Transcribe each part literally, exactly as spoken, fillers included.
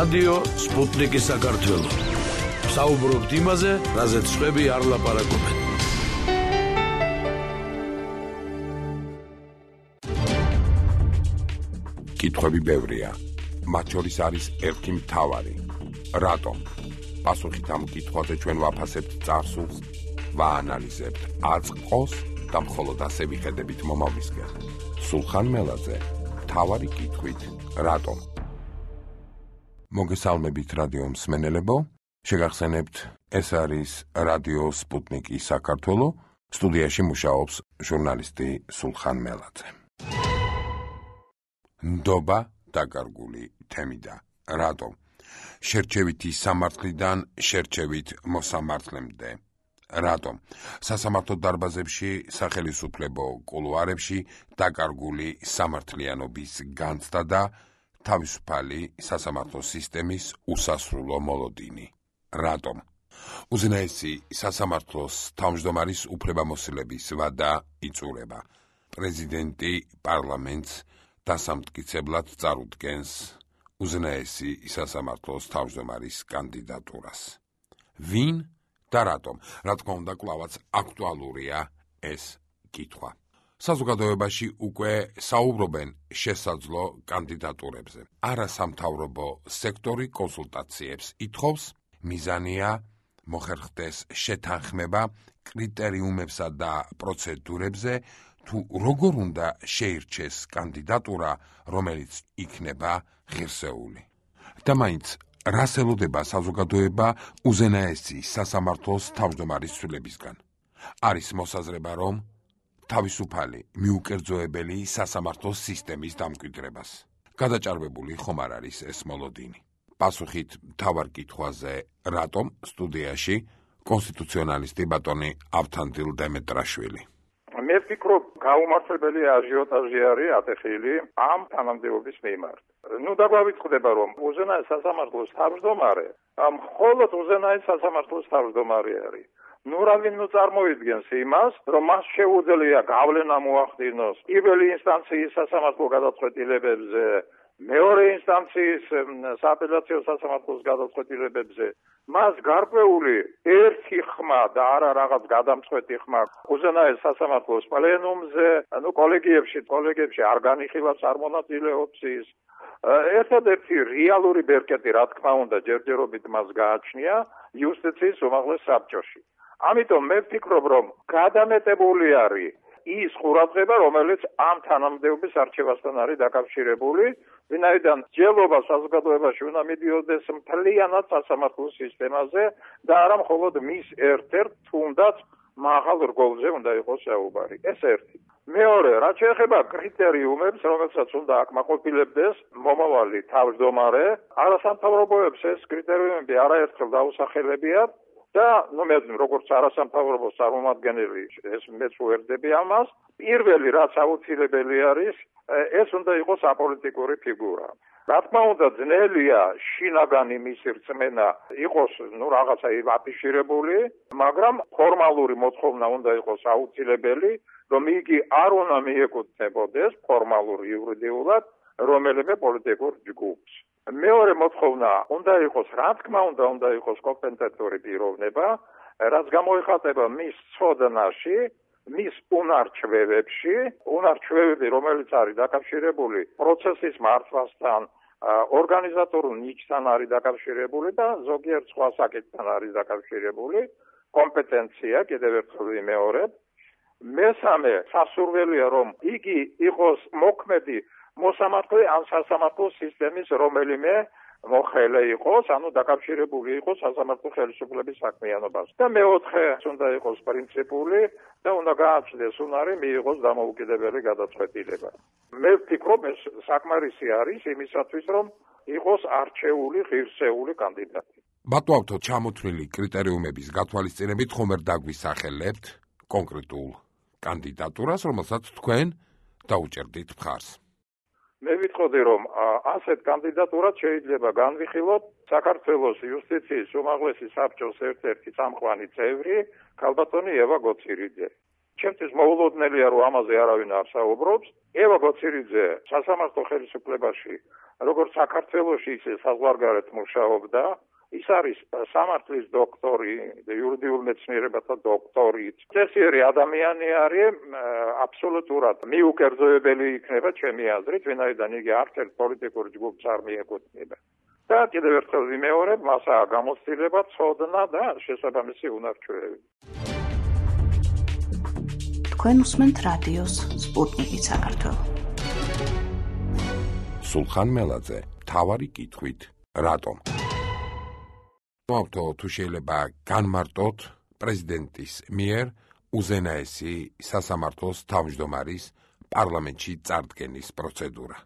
რადიო სპუტნიკი საქართველო. საუბრობთ იმაზე, რაზეც სხვები არ ლაპარაკობენ. კითხვები ბევრია. მათ შორის არის ერთი მთავარი. რატომ? პასუხით ამ კითხვაზე ჩვენ ვაფასებთ წარსულს, ვაანალიზებთ აწყოს და მხოლოდ ასე ვიხედებით მომავლისკენ. სულხან მელაძე, მთავარი კითხვით, რატომ? მოგესალმებით რადიო მსმენელებო, შეგახსენებთ, ეს არის რადიო სპუტნიკი საქართველო, სტუდიაში მუშაობს ჟურნალისტი სულხან მელაძე. ნდობა დაკარგული თემიდა. რატომ? შერჩევითი სამართლიდან შერჩევით მოსამართლემდე. რატომ? სასამართლო დარბაზებში, სახელისუფლებო კულუარებში დაკარგული სამართლიანობის განცდა და თავისუფალი სასამართლო სისტემის უსასრულო მოლოდინი. რატომ? უზენაესი სასამართლოს თავმჯდომარის უფლებამოსილების ვადა იწურება. პრეზიდენტი პარლამენტს დასამტკიცებლად წარუდგენს უზენაესი სასამართლოს თავმჯდომარის კანდიდატურას. ვინ და რატომ? რა თქმა უნდა, კვლავაც აქტუალურია ეს კითხვა. საზოგადოებაში უკვე საუბრობენ შესაძლო კანდიდატურებზე. არასამთავრობო სექტორი კონსულტაციებს ითხოვს, მიზანია მოხერხდეს შეთანხმება კრიტერიუმებსა და პროცედურებზე, თუ როგორ უნდა შეირჩეს კანდიდატურა, რომელიც იქნება ღირსეული. და მაინც რას ელოდება საზოგადოება უზენაესი სასამართლოს თავმჯდომარის ცვლილებისგან? არის მოსაზრება, რომ თავისუფალი, მიუკერძოებელი სასამართლოს სისტემის დამკვიდრებას. გადაჭარბებული ხომ არ არის ეს მოლოდინი? პასუხით მთავარ კითხვაზე, რატომ, სტუდიაში კონსტიტუციონალისტი ბატონი ავთანდილ დემეტრაშვილი. მე ვფიქრობ, გაუმართლებელი აჟიოტაჟი არის ატეხილი ამ თანამდებობის მიმართ. ნუ დაგვავიწყდება, რომ უზენაეს სასამართლოს თავმჯდომარე მხოლოდ უზენაეს სასამართლოს თავმჯდომარე არის. ნუ რავინ ნუ წარმოიდგენს იმას, რომ მას შეუძლია გავლენა მოახდინოს პირველი ინსტანციის სასამართლო გადაწყვეტილებებზე, მეორე ინსტანციის სააპელაციო სასამართლოს გადაწყვეტილებებზე. მას გარკვეული ერთი ხმა და არა რაღაც გადამწყვეტი ხმა უზენაეს სასამართლოს პლენუმზე, ანუ კოლეგიებში, კოლეგიებში არ განიხილავს, არ მონაწილეობს ის. ერთადერთი რეალური ბერკეტი, რა თქმა უნდა, ჯერჯერობით მას გააჩნია იუსტიციის უმაღლეს საბჭოში. ამიტომ მე ვფიქრობ, რომ გადამეტებული არის ის ყურადღება, რომელიც ამ თანამდებობის არჩევასთან არის დაკავშირებული, ვინაიდან ჯელობა საზოგადოებაში უნდა მიდიოდეს მთლიანად სასამართლოს სისტემაზე და არა მხოლოდ მის ერთ-ერთ თუნდაც მაღალ რგოლზე უნდა იყოს საუბარი. ეს ერთი. მეორე, რაც შეეხება კრიტერიუმებს, რომელსაც უნდა აკმაყოფილებდეს მომავალი თავმჯდომარე, არასამთავრობოებს ეს კრიტერიუმები არაერთხელ დაუსახელებიათ. და ნუ მე როგორც არასამთავრობო წარმომადგენელი ეს მეც ვერდები ამას, პირველი რაც აუცილებელი არის, ეს უნდა იყოს აპოლიტიკური ფიგურა. რა თქმა უნდა, ძნელია შინაგანი მისი რწმენა იყოს ნუ რაღაცა აფიშირებული, მაგრამ ფორმალური მოთხოვნა უნდა იყოს აუცილებელი, რომ იგი არ უნდა მიეკუთვნებოდეს ფორმალურ იურიდიულად რომელიმე პოლიტიკურ ჯგუფს. მეორე მოთხოვნა უნდა იყოს, რა თქმა უნდა, უნდა იყოს კომპეტენტური პიროვნება, რაც გამოიხატება მის ცოდნაში, მის უნარჩვევებში, უნარჩვევები, რომელიც არის დაკავშირებული პროცესის მართვასთან, ორგანიზატორულ ნიჭთან არის დაკავშირებული და ზოგიერთ სხვა საკითხთან არის დაკავშირებული, კომპეტენცია კიდევ ერთხელ ვიმეორებ. მესამე, სასურველია, რომ იგი იყოს მოქმედი მოსამართლე ან სასამართლო სისტემის რომელიმე მოხელე იყოს, ანუ დაკავშირებული იყოს სასამართლო ხელისუფლების საქმიანობასთან. და მეოთხე, უნდა იყოს პრინციპული და უნდა გააჩნდეს უნარი მიიღოს დამოუკიდებელი გადაწყვეტილება. მე ვფიქრობ, ეს საკმარისი არის იმისათვის, რომ იყოს არჩეული ღირსეული კანდიდატი. ბატონო, ჩამოთვლილი კრიტერიუმების გათვალისწინებით ხომ არ დაგვისახელებთ კონკრეტულ კანდიდატურას, რომელსაც თქვენ დაუჭერდით მხარს? მე ვიტყოდი, რომ ასეთ კანდიდატურად შეიძლება განვიხილოთ საქართველოს იუსტიციის უმაღლესი საბჭოს ერთ-ერთი წამყვანი წევრი, ქალბატონი ევა გოცირიძე. ჩემთვის მოულოდნელია, რომ ამაზე არავინ არ საუბრობს. ევა გოცირიძე სასამართლო ხელისუფლებაში, როგორც საქართველოში, ისე საზღვარგარეთ მუშაობდა. ის არის სამართლის დოქტორი, იურიდიულ მეცნიერებათა დოქტორი. წესიერი ადამიანი არის, აბსოლუტურად მიუკერძოებელი იქნება ჩემი აზრით, ვინაიდან იგი არც ერთ პოლიტიკურ ჯგუფს არ მიეკუთვნება. და კიდევ ერთხელ ვიმეორებ, მასაა გამოცდილება, ცოდნა და შესაბამისი უნარჩვევები. თქვენ უსმენთ რადიოს სპუტნიკი საქართველო. სულხან მელაძე, მთავარი კითხვით, რატომ? მოვთო თუ შეიძლება განმარტოთ პრეზიდენტის მიერ უზენაესი სასამართლოს თავმჯდომარის პარლამენტში წარდგენის პროცედურა.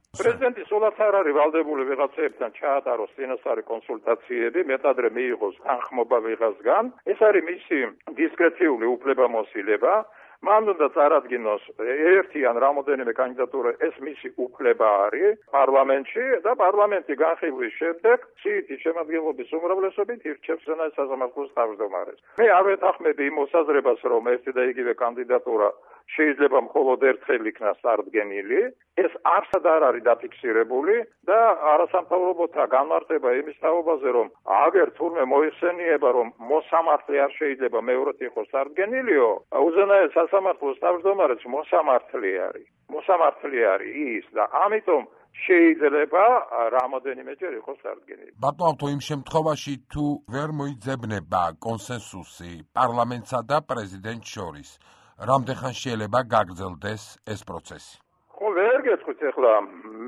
პრეზიდენტი სულაც არ არის ვალდებული ვიღაცებთან ჩაატაროს წინასწარი კონსულტაციები, მეტადრე მიიღოს თანხმობა ვიღაცგან. ეს არის მისი დისკრეციული უფლებამოსილება. მან უნდა წარადგინოს ერთი ან რამოდენიმე კანდიდატურა, ეს მისი უფლება არის პარლამენტში და პარლამენტი განხილვის შემდეგ სიითის შემადგენლობის უმრავლესობით ირჩევს უზენაეს სასამართლოს თავმჯდომარეს. მე არ ვეთანხმები იმ მოსაზრებას, რომ ერთი და იგივე კანდიდატურა შეიძლება მხოლოდ ერთხელ იქნას წარდგენილი. ეს არსად არ არის დაფიქსირებული და არასამთავრობოთა განმარტება იმის თაობაზე, რომ აგერ თურმე მოიხსენიება, რომ მოსამართლე არ შეიძლება მეორედ იყოს წარდგენილიო, უზენაეს სასამართლოს თავმჯდომარეს მოსამართლე არის. მოსამართლე არის ის და ამიტომ შეიძლება რამოდენიმეჯერ იყოს წარდგენილი. ბატონო, იმ შემთხვევაში თუ ვერ მოიძებნება კონსენსუსი პარლამენტსა და პრეზიდენტს შორის, რამდენხან შეიძლება გაგრძელდეს ეს პროცესი? ხო, ვერ გეტყვით ახლა.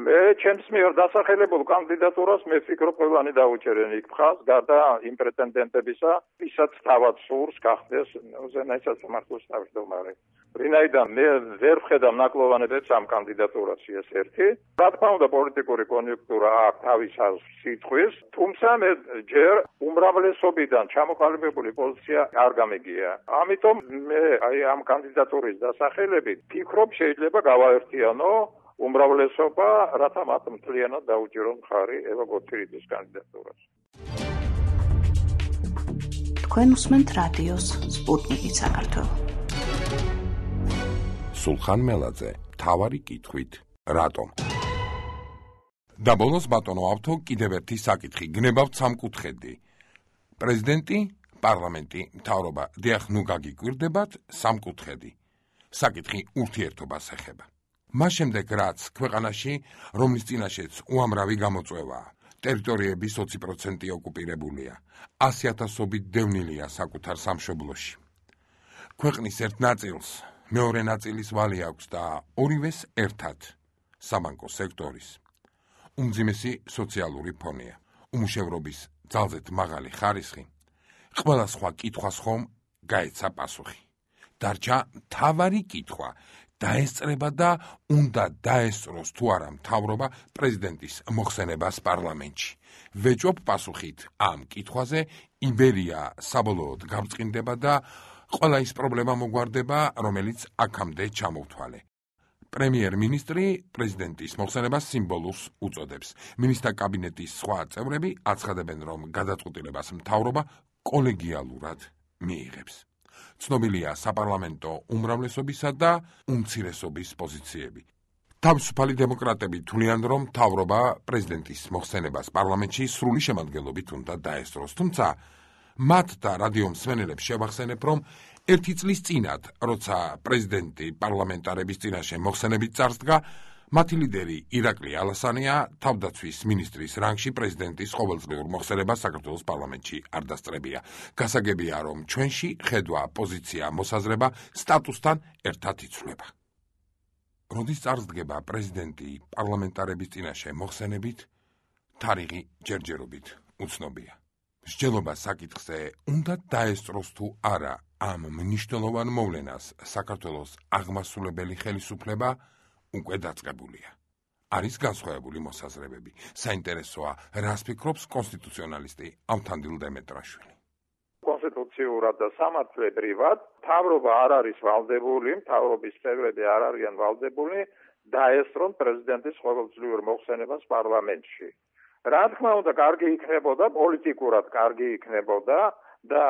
მე ჩემს მიერ დასახელებულ კანდიდატურას მე ვფიქრობ, ყველანი დაუჭერენ იქ მხარს, გარდა იმ პრეტენდენტებისა, ვისაც თავად სურს გახდეს უზენაეს სასამართლოს თავმჯდომარე. ვინაიდან მე ვერ ვხედავ ნაკლოვანებებს ამ კანდიდატურაში, ეს ერთი. რა თქმა უნდა, პოლიტიკური კონიუნქტურა აქვს თავის სიტყვის, თუმცა მე ჯერ უმრავლესობიდან ჩამოყალიბებული პოზიცია არ გამიგია. ამიტომ მე აი ამ კანდიდატურის დასახელებით ვფიქრობ, შეიძლება გავაერთიანო უმრავლესობა, რათა მათ მთლიანად დაუჭირონ მხარი ევა გოცირიძის კანდიდატურას. თქვენ უსმენთ რადიოს სპუტნიკი საქართველო. სულხან მელაძე, მთავარი კითხვით, რატომ? და ბოლოს ბატონო ავთო კიდევ ერთი საკითხი, გნებავთ სამკუთხედი. პრეზიდენტი, პარლამენტი, მთავრობა, დიახ, ნუ გაგიკვირდებათ სამკუთხედი. საკითხი ურთიერთობას ეხება. მას შემდეგ, რაც ქვეყანაში, რომლის წინაშეც უამრავი გამოწვევაა, ტერიტორიების ოცი პროცენტი ოკუპირებულია, ასი ათასობით დევნილია საკუთარ სამშობლოში. ქვეყნის ერთ ნაწილს მეორე ნაწილის ვალი აქვს და ორივეს ერთად საბანკო სექტორის. უმძიმესი სოციალური ფონია, უმუშევრობის ძალზედ მაღალი ხარისხი, ყველა სხვა კითხვას ხომ გაეცა პასუხი. დარჩა მთავარი კითხვა, დაესწრება და უნდა დაესწროს თუ არა მთავრობა პრეზიდენტის მოხსენებას პარლამენტში. ვეჭვობ პასუხით ამ კითხვაზე, იბერია საბოლოოდ გამწყინდება და ყველა ის პრობლემა მოგვარდება, რომელიც აქამდე ჩამოვთვალე. პრემიერ-მინისტრი პრეზიდენტის მოხსენებას სიმბოლურს უწოდებს. მინისტრთა კაბინეტის სხვა წევრები აცხადებენ, რომ გადაწყვეტილებას მთავრობა კოლეგიალურად მიიღებს. ცნობილია საპარლამენტო უმრავლესობისა და უმცირესობის პოზიციები. თავისუფალი დემოკრატები თვლიან, რომ მთავრობა პრეზიდენტის მოხსენებას პარლამენტში სრული შემადგენლობით უნდა დაესწროს, თუმცა მათ და რადიო მსმენელებს შევახსენებ, რომ ერთი წლის წინათ, როცა პრეზიდენტი პარლამენტარების წინაშე მოხსენებით წარსდგა, მათი ლიდერი ირაკლი ალასანია თავდაცვის მინისტრის რანგში პრეზიდენტის ყოველწლიურ მოხსენებას საქართველოს პარლამენტში არ დასწრებია. გასაგებია, რომ ჩვენში ხედვა, პოზიცია, მოსაზრება სტატუსთან ერთად იცვლება. როდის წარსდგება პრეზიდენტი პარლამენტარების წინაშე მოხსენებით, თარიღი ჯერჯერობით უცნობია. მსჯელობა საკითხზე უნდა დაესწროს თუ არა ამ მნიშვნელოვან მოვლენას საქართველოს აღმასრულებელი ხელისუფლება უკვე დაწყებულია. არის განსხვავებული მოსაზრებები. საინტერესოა, რას ფიქრობს კონსტიტუციონალისტი ავთანდილ დემეტრაშვილი. კონსტიტუციურად და სამართლებრივად მთავრობა არ არის ვალდებული, მთავრობის წევრები არ არიან ვალდებული დაესწრონ პრეზიდენტის ყოველწლიურ მოხსენებას პარლამენტში. რა თქმა უნდა, კარგი იქნებოდა, პოლიტიკურად კარგი იქნებოდა, და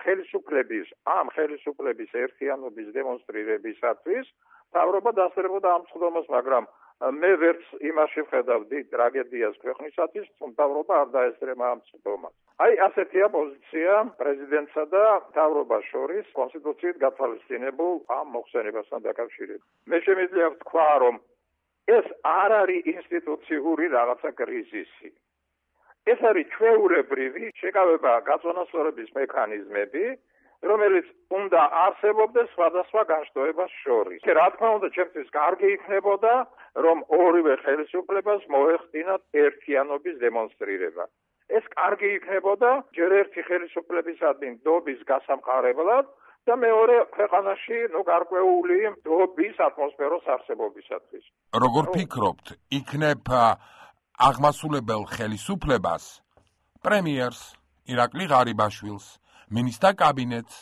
ხელისუფლების ამ ხელისუფლების ერთიანობის დემონსტრირებისათვის მთავრობა დასწრებოდა ამ წვდომას, მაგრამ მე ვერც იმაში ვხედავდი ტრაგედიას ქვეყნისათვის, რომ მთავრობა არ დაესწრება ამ წვდომას. აი ასეთია პოზიცია პრეზიდენტსა და მთავრობას შორის კონსტიტუციით გათვალისწინებულ ამ მოხსენებასთან დაკავშირებით. მე შემიძლია ვთქვა, რომ ეს არ არის ინსტიტუციური რაღაცა კრიზისი. ეს არის ჩვეულებრივი შეკავება გაწონასწორების მექანიზმები, რომელიც უნდა არსებობდეს სხვადასხვა განშტოებას შორის. რა თქმა უნდა, ჩემთვის კარგი იქნებოდა, რომ ორივე ხელისუფლებას მოეხდინათ ერთიანობის დემონსტრირება. ეს კარგი იქნებოდა ჯერ ერთი ხელისუფლებისადმი ნდობის გასამყარებლად და მეორე ქვეყანაში ნუ გარკვეული ნდობის ატმოსფეროს არსებობისათვის. როგორ ფიქრობთ, იქნებ აღმასულებელ ხელისუფლებას, პრემიერს, ირაკლი ღარიბაშვილს, მინისტრთა კაბინეტს,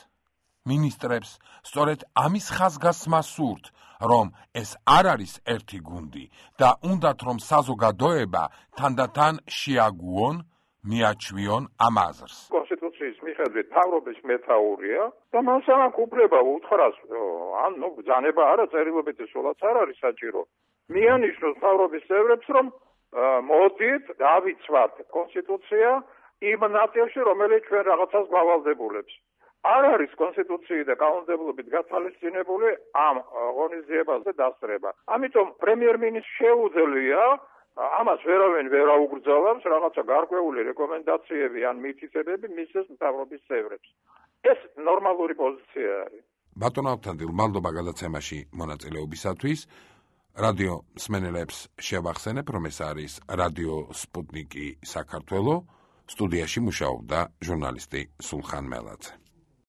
მინისტრებს, სწორედ ამის ხაზგასმა სურთ, რომ ეს არ არის ერთი გუნდი და უნდათ რომ საზოგადოება თანდათან შეაგუონ, მიაჩვიონ ამ აზრს. კონსტიტუციის მიხედვით მთავრობის მეთაურია და მან სამක් უფლება უთხრას, ან ნუ ბრძანება არა, წერილობითი სულაც არ არის საჭირო. მიანიშნოს მთავრობის წევრებს, რომ მოდით დავიცვათ კონსტიტუცია იმ ნაწილში, რომელიც ჩვენ რაღაცას გავალდებულებს. არ არის კონსტიტუციით და კანონმდებლობით გათვალისწინებული ამ ღონისძიებაზე დასწრება. ამიტომ პრემიერ-მინისტრს შეუძლია ამას ვერავინ ვერ აუგრძელებს, რაღაცა გარკვეული რეკომენდაციები ან მითითებები მისცეს მთავრობის წევრებს. ეს ნორმალური პოზიცია არის. ბატონ ავთანდილ, მადლობა გადაცემაში მონაწილეობისათვის. რადიო მსმენელებს შევახსენებ, რომ ეს არის რადიო სპუტნიკი საქართველო. სტუდიაში მუშაობდა ჟურნალისტი სულხან მელაძე.